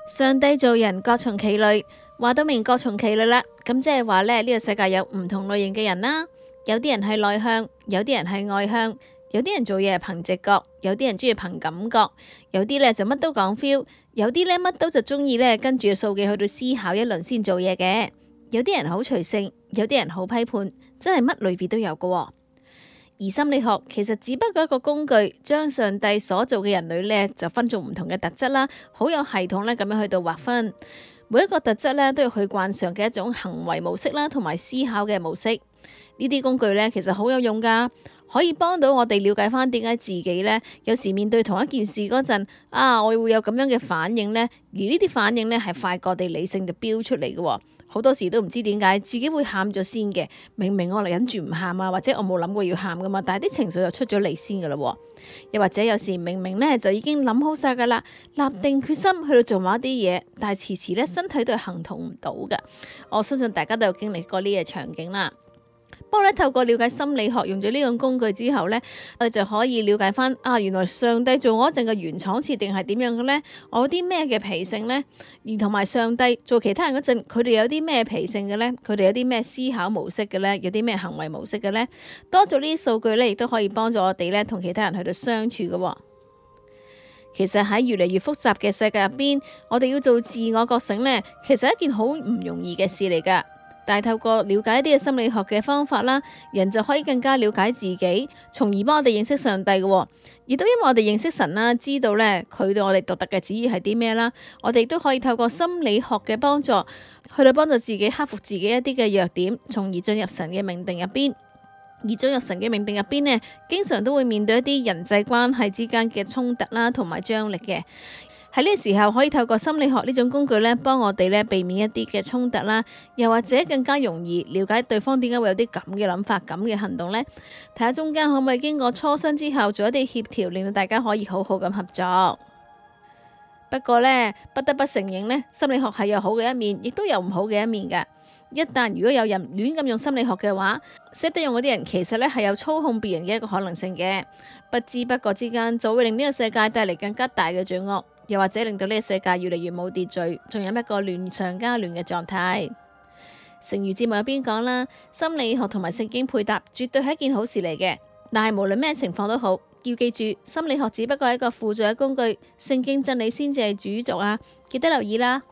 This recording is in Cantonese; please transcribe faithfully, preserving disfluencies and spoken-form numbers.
上帝造人各從其類，話到明各從其類啦。咁即係話咧，呢個世界有唔同類型嘅人啦。有啲人係內向，有啲人係外向，有啲人做嘢係憑直覺，有啲人中意憑感覺，有啲咧就乜都講 feel，有啲咧乜都就中意咧跟住個數據去到思考一輪先做嘢嘅。有啲人好隨性，有啲人好批判，真係乜類別都有㗎。而心理學其實只不過一個工具，將上帝所做嘅人類呢就分做唔同嘅特質啦，好有系統咧咁樣去到劃分。每一個特質呢都有佢慣常嘅一種行為模式啦，同埋思考嘅模式。呢啲工具呢其實好有用噶，可以幫到我哋了解翻點解自己呢有時面對同一件事嗰陣啊，我會有咁樣嘅反應呢。而呢啲反應呢係快過我哋理性就飆出嚟嘅。好多時都唔知點解自己會喊咗先嘅，明明我嚟忍住唔喊啊，或者我冇諗過要喊噶嘛，但係啲情緒就出咗嚟先噶啦。又或者有時明明呢就已經諗好晒噶啦，立定決心去到做某一啲嘢，但係遲遲呢身體都係行動唔到噶。我相信大家都有經歷過呢個場景啦。不過咧，透過了解心理學，用咗呢種工具之後呢，我哋就可以了解翻啊，原來上帝做我一陣嘅原廠設定係點樣嘅呢？我有啲咩嘅脾性呢？而同埋上帝做其他人嗰陣，佢哋有啲咩脾性嘅呢？佢哋有啲咩思考模式嘅呢？有啲咩行為模式嘅呢？多咗呢啲數據呢，亦都可以幫助我哋呢同其他人去到相處嘅。其實喺越嚟越複雜嘅世界入邊，我哋要做自我覺醒呢，其實係一件好唔容易嘅事嚟噶。但係透過了解一啲嘅心理學嘅方法啦，人就可以更加了解自己，從而幫我哋認識上帝嘅。亦都因為我哋認識神啦，知道咧佢對我哋獨特嘅旨意係啲咩啦，我哋都可以透過心理學嘅幫助，去到幫助自己克服自己一啲嘅弱點，從而進入神嘅命定入邊。而進入神嘅命定入邊呢，經常都會面對一啲人際關係之間嘅衝突啦，同埋張力嘅。喺呢個時候可以透過心理學呢種工具咧，幫我哋咧避免一啲嘅衝突啦，又或者更加容易了解對方點解會有啲咁嘅諗法、咁嘅行動呢？睇下中間可唔可以經過磋商之後做一啲協調，令到大家可以好好咁合作。不過呢，不得不承認呢，心理學係有好嘅一面，亦都有唔好嘅一面噶。一旦如果有人亂咁用心理學嘅話，識得用嗰啲人其實咧係有操控別人嘅一個可能性嘅，不知不覺之間就會令呢個世界帶嚟更加大嘅罪惡。又或者令到呢個世界越嚟越冇秩序，仲有一個亂上加亂嘅狀態。成語節目入邊講啦，心理學同埋聖經配搭絕對係一件好事嚟嘅。但係無論咩情況都好，要記住心理學只不過係一個輔助嘅工具，聖經真理先至係主軸啊！記得留意啦。